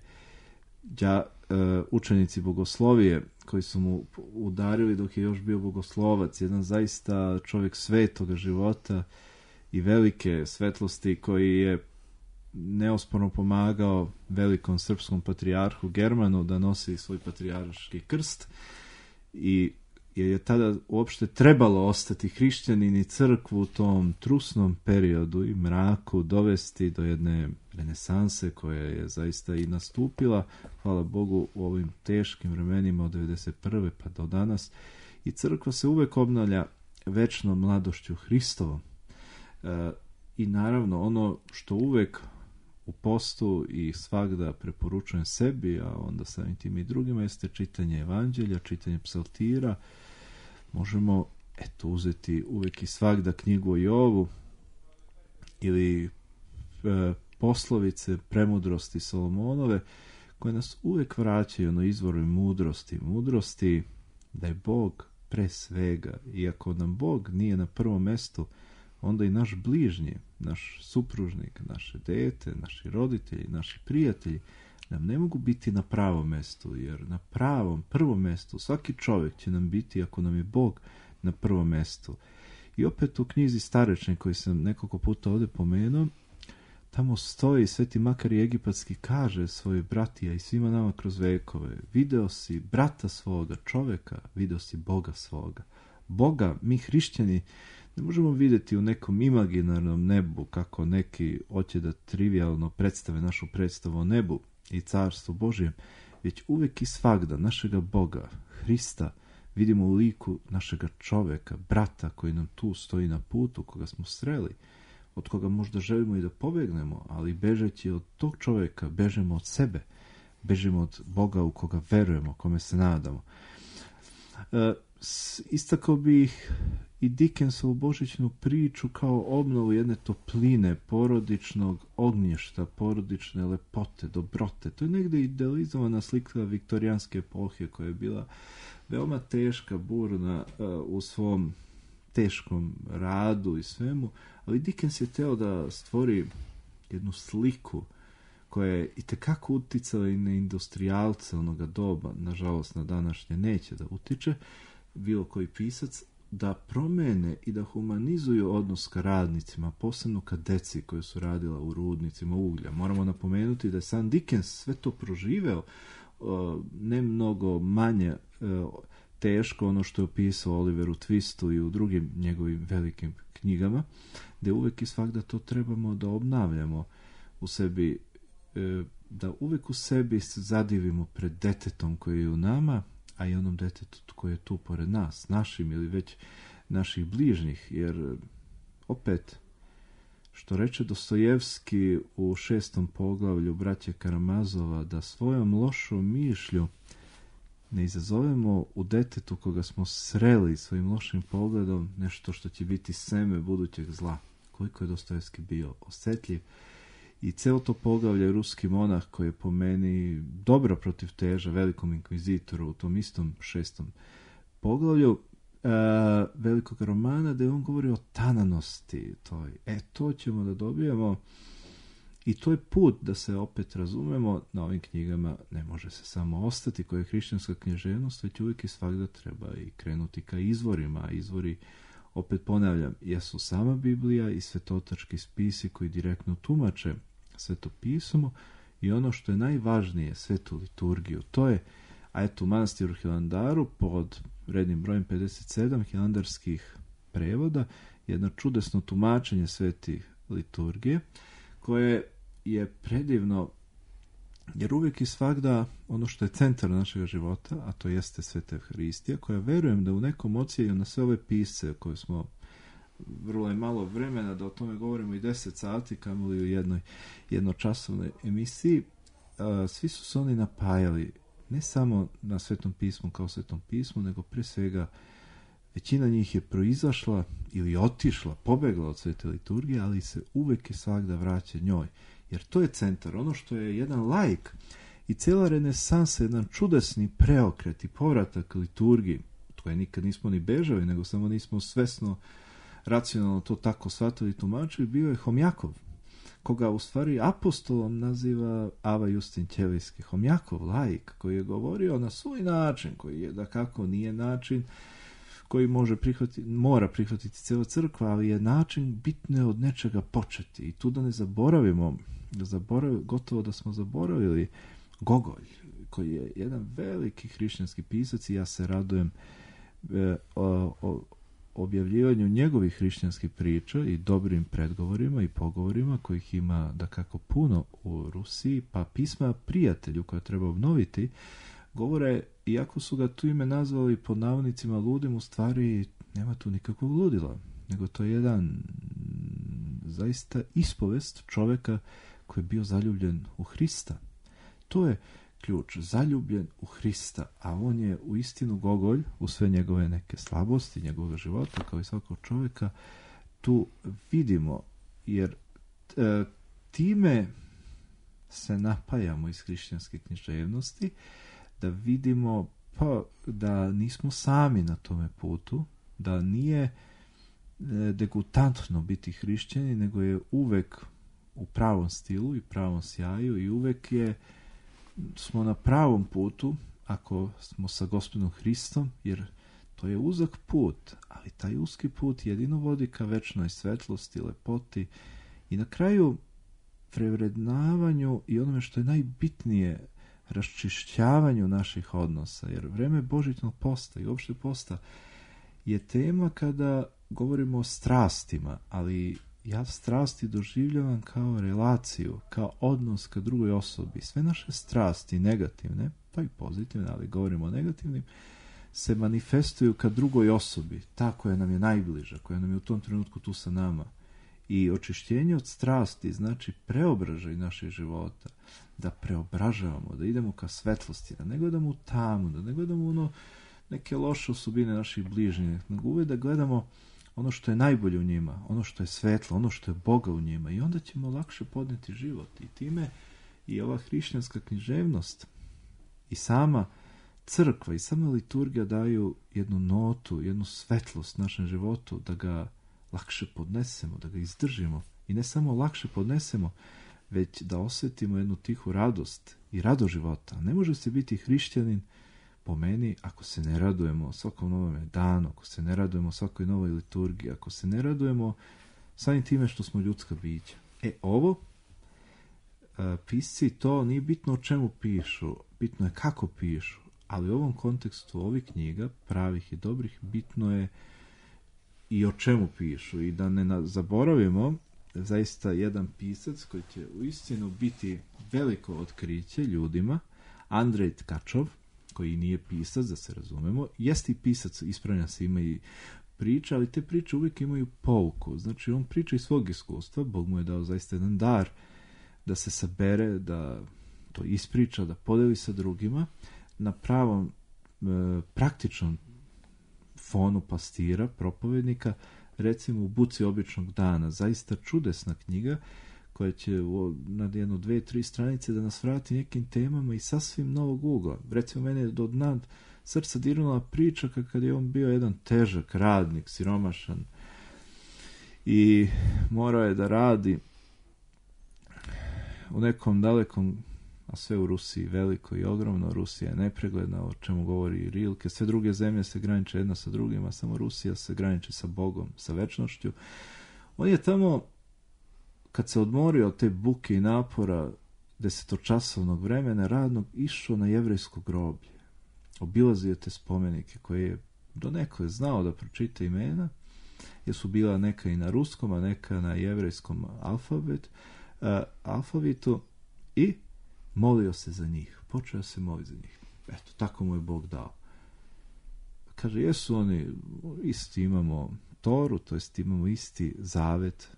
đa, uh, učenici bogoslovije, koji su mu udarili dok je još bio bogoslovac, jedan zaista čovjek svetoga života i velike svetlosti, koji je neosporno pomagao velikom srpskom patrijarhu Germanu da nosi svoj patrijarški krst, i jer je tada uopšte trebalo ostati hrišćanin i crkvu u tom trusnom periodu i mraku dovesti do jedne renesanse koja je zaista i nastupila, hvala Bogu, u ovim teškim vremenima od devedeset prve pa do danas. I crkva se uvek obnavlja večnom mladošću Hristovom. E, I naravno ono što uvek u postu i svagda preporučujem sebi, a onda samim tim i drugima, jeste čitanje evanđelja, čitanje psaltira. Možemo, eto, uzeti uvek i svagda knjigu o Jovu ili e, poslovice premudrosti Solomonove, koje nas uvek vraćaju na izvoru mudrosti. Mudrosti da je Bog pre svega, i ako nam Bog nije na prvom mestu, onda i naš bližnji, naš supružnik, naše dete, naši roditelji, naši prijatelji nam ne mogu biti na pravom mestu, jer na pravom, prvom mestu svaki čovjek će nam biti ako nam je Bog na prvom mestu. I opet u knjizi Starečni, koji sam nekoliko puta ovdje pomenuo, tamo stoji, Sveti Makar Egipatski kaže svojoj bratija i svima nama kroz vekove: video si brata svoga, čovjeka, video si Boga svoga. Boga, mi hrišćani, ne možemo vidjeti u nekom imaginarnom nebu, kako neki hoće da trivialno predstave našu predstavu o nebu i carstvu Božijem, već uvek i svagda našega Boga, Hrista, vidimo u liku našega čoveka, brata koji nam tu stoji na putu, koga smo sreli. od koga možda želimo i da pobegnemo, ali bežeći od tog čovjeka, bežemo od sebe, bežimo od Boga u koga verujemo, kome se nadamo. E, istakao bih i Dickensovu božićnu priču kao obnovu jedne topline, porodičnog ognješta, porodične lepote, dobrote. To je negdje idealizovana slika viktorijanske epohe koja je bila veoma teška, burna uh, u svom teškom radu i svemu, ali Dickens je teo da stvori jednu sliku koja je itekako uticala i na industrijalce onoga doba, nažalost na današnje neće da utiče, bilo koji pisac, da promene i da humanizuju odnos ka radnicima, posebno ka deci koji su radila u rudnicima uglja. Moramo napomenuti da je sam Dickens sve to proživeo, ne mnogo manje teško ono što je opisao Oliveru Twistu i u drugim njegovim velikim knjigama, gdje uvek i svakda to trebamo da obnavljamo u sebi, da uvek u sebi se zadivimo pred detetom koji je u nama, a i onom detetu koji je tu pored nas, našim ili već naših bližnjih, jer opet, što reče Dostojevski u šestom poglavlju Braće Karamazova, da svojom lošom mišlju ne izazovemo u detetu koga smo sreli svojim lošim pogledom nešto što će biti seme budućeg zla. Koliko je Dostojevski bio osjetljiv. I celo to poglavlje ruski monah koji je po meni dobro protiv teža velikom inkvizitoru u tom istom šestom poglavlju uh, velikog romana, da je on govori o tananosti toj. E, to ćemo da dobijemo i to je put da se opet razumemo. Na ovim knjigama ne može se samo ostati koja je hrišćanska književnost, već uvijek i svakda treba i krenuti ka izvorima, a izvori, opet ponavljam, jesu sama Biblija i svetotački spisi koji direktno tumače Sveto pismo i ono što je najvažnije, svetu liturgiju. To je, a eto, u manastiru Hilandaru pod rednim brojem pedeset sedam hilandarskih prevoda jedno čudesno tumačenje svetih liturgije koje je predivno, jer uvijek i svagda ono što je centar našeg života, a to jeste Sveta Evharistija, koja verujem da u nekom odsjeju na sve ove pisce koje smo, vrlo je malo vremena da o tome govorimo i deset sati, kamoli u jednoj jednočasovnoj emisiji, a, svi su se oni napajali ne samo na Svetom pismu kao Svetom pismu, nego pre svega većina njih je proizašla ili otišla, pobegla od svete liturgije, ali se uvek i svagda vraća njoj. Jer to je centar, ono što je jedan laik i cijela renesansa, jedan čudesni preokret i povratak liturgiji, od koje nikad nismo ni bežali, nego samo nismo svesno, racionalno to tako shvatili i tumačili, bio je Homjakov, koga u stvari apostolom naziva Ava Justin Ćelijski. Homjakov, laik, koji je govorio na svoj način, koji je da kako nije način koji može prihvatiti, mora prihvatiti cijela crkva, ali je način bitno je od nečega početi. I tu da ne zaboravimo, da zaborav, gotovo da smo zaboravili Gogolj, koji je jedan veliki hrišćanski pisac i ja se radujem e, o, o objavljivanju njegovih hrišćanskih priča i dobrim predgovorima i pogovorima kojih ima da kako puno u Rusiji, pa pisma prijatelju koje treba obnoviti, govore, iako su ga tu ime nazvali pod navodnicima ludim, u stvari nema tu nikakvog ludila, nego to je jedan zaista ispovest čovjeka koji je bio zaljubljen u Hrista. To je ključ, zaljubljen u Hrista, a on je u istinu Gogolj, u sve njegove neke slabosti, njegovog života, kao i svakog čovjeka, tu vidimo, jer e, time se napajamo iz hrišćanske književnosti, da vidimo pa, da nismo sami na tome putu, da nije e, degutantno biti hrišćani, nego je uvek u pravom stilu i pravom sjaju i uvek je smo na pravom putu ako smo sa Gospodom Hristom, jer to je uzak put, ali taj uski put jedino vodi ka večnoj svetlosti, lepoti i na kraju prevrednavanju i onome što je najbitnije, raščišćavanju naših odnosa, jer vreme božićnog posta i uopšte posta je tema kada govorimo o strastima, ali ja strasti doživljavam kao relaciju, kao odnos ka drugoj osobi. Sve naše strasti, negativne, pa i pozitivne, ali govorimo o negativnim, se manifestuju ka drugoj osobi, ta koja nam je najbliža, koja nam je u tom trenutku tu sa nama. I očišćenje od strasti znači preobražaj naših života, da preobražavamo, da idemo ka svetlosti, da ne gledamo u tamu, da ne gledamo ono neke loše osobine naših bližnjih, nego uvijek da gledamo ono što je najbolje u njima, ono što je svetlo, ono što je Boga u njima, i onda ćemo lakše podneti život. I time i ova hrišćanska književnost i sama crkva i sama liturgija daju jednu notu, jednu svetlost našem životu, da ga lakše podnesemo, da ga izdržimo. I ne samo lakše podnesemo, već da osjetimo jednu tihu radost i rado života. Ne može se biti hrišćanin, po meni, ako se ne radujemo svakom novom danu, ako se ne radujemo svakoj novoj liturgiji, ako se ne radujemo samim time što smo ljudska bića. E, ovo, pisci, to nije bitno o čemu pišu, bitno je kako pišu, ali u ovom kontekstu ovih knjiga, pravih i dobrih, bitno je i o čemu pišu. I da ne zaboravimo, zaista jedan pisac koji će uistinu biti veliko otkriće ljudima, Andrej Tkačov, koji nije pisac, da se razumemo, jeste i pisac, ispravlja se, ima i priča, ali te priče uvijek imaju pouku. Znači, on priča iz svog iskustva, Bog mu je dao zaista jedan dar da se sabere, da to ispriča, da podeli sa drugima, na pravom e, praktičnom fonu pastira, propovednika, recimo u Buci običnog dana. Zaista čudesna knjiga koja će na jednu, dve, tri stranice da nas vrati nekim temama i sasvim novog ugla. Recimo, mene je do dna srca dirnula priča kad je on bio jedan težak radnik, siromašan, i morao je da radi u nekom dalekom, a sve u Rusiji veliko i ogromno, Rusija je nepregledna, o čemu govori i Rilke, sve druge zemlje se graniče jedna sa drugima, samo Rusija se graniči sa Bogom, sa večnošću. On je tamo, kad se odmorio od te buke i napora desetočasovnog vremena radnog, išao na jevrejsko groblje. Obilazio te spomenike koje je donekle znao da pročita imena, jer su bila neka i na ruskom, a neka na jevrejskom alfabet, uh, alfabetu, i molio se za njih. Počeo se moliti za njih. Eto, tako mu je Bog dao. Kaže, jesu oni, isti imamo Toru, to jest imamo isti zavet,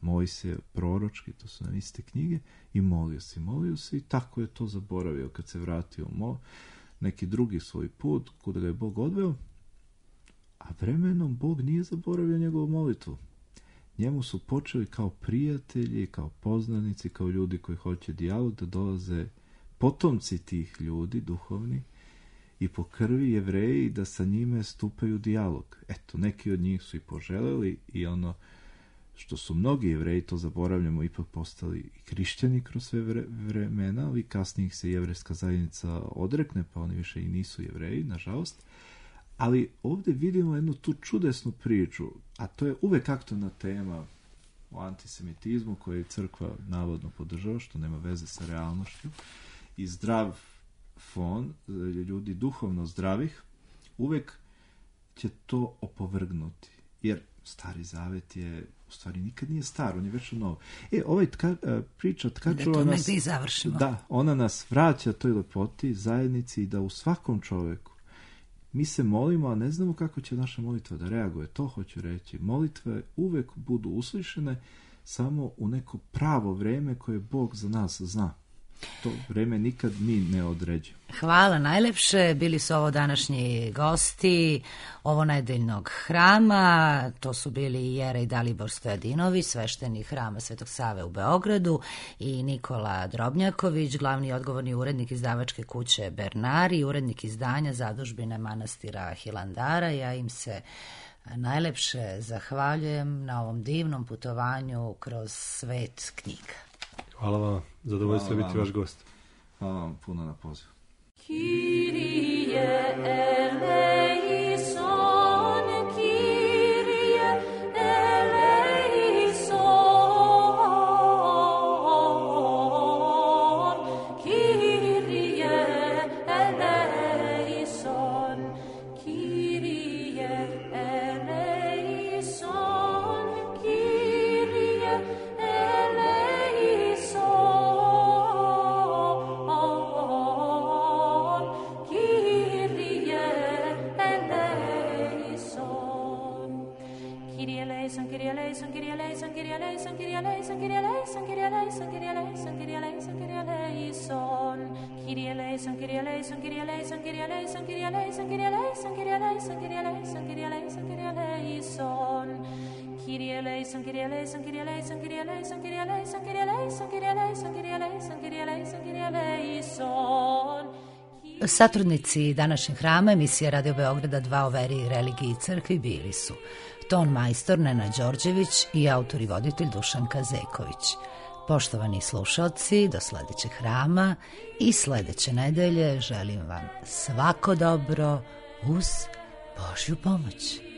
Mojsije, proročki, to su nam iste knjige, i molio se, molio se, i tako je to zaboravio kad se vratio mo, neki drugi svoj put, kuda ga je Bog odveo, a vremenom Bog nije zaboravio njegovu molitvu. Njemu su počeli kao prijatelji, kao poznanici, kao ljudi koji hoće dijalog, da dolaze potomci tih ljudi, duhovni, i po krvi Jevreji, da sa njime stupaju dijalog. Eto, neki od njih su i poželeli, i ono što su mnogi Jevreji, to zaboravljamo, ipak postali i hrišćani kroz sve vre, vremena, ali kasnije ih se jevrejska zajednica odrekne, pa oni više i nisu Jevreji, nažalost. Ali ovdje vidimo jednu tu čudesnu priču, a to je uvek aktualna tema o antisemitizmu koju je crkva navodno podržava, što nema veze sa realnošću, i zdrav fon, ljudi duhovno zdravih, uvek će to opovrgnuti. Jer Stari Zavet je, u stvari nikad nije star, on je već novo. E, ovaj tka, priča Tkačova nas, da, ona nas vraća toj lepoti, zajednici, i da u svakom čoveku mi se molimo, a ne znamo kako će naša molitva da reaguje. To hoću reći. Molitve uvek budu uslišene samo u neko pravo vreme koje Bog za nas zna. To vreme nikad mi ne određujemo. Hvala najlepše. Bili su ovo današnji gosti ovo nedeljnog hrama. To su bili Jerej Dalibor Stojadinović, sveštenik hrama Svetog Save u Beogradu, i Nikola Drobnjaković, glavni odgovorni urednik izdavačke kuće Bernari i urednik izdanja Zadužbine manastira Hilandara. Ja im se najlepše zahvaljujem na ovom divnom putovanju kroz svet knjiga. Hvala vam, zadovoljstvo biti vaš gost. Hvala vam puno na pozivu. Kyrie eleison, Kyrie eleison, Kyrie eleison, Kyrie eleison, Kyrie eleison, Kyrie eleison, Kyrie eleison, Kyrie eleison, Kyrie eleison, Kyrie eleison, Kyrie eleison, Kyrie eleison, Kyrie eleison, Kyrie eleison. Kyrie eleison, Kyrie eleison, Kyrie eleison, Kyrie eleison, Kyrie eleison, Kyrie eleison, Kyrie eleison, Kyrie eleison, Kyrie eleison, Kyrie eleison. Kyrie eleison, Kyrie eleison, Kyrie eleison, Kyrie eleison, Kyrie eleison, Kyrie eleison, Kyrie eleison, Kyrie eleison, Kyrie eleison, Kyrie eleison. Satrudnici današnjeg hrama emisija Radio Beograda dva o veri, religiji i crkvi bili su ton majstor Nena Đorđević i autor i voditelj Dušan Kazeković. Poštovani slušalci, do sledećeg hrama i sledeće nedelje želim vam svako dobro uz Božju pomoć.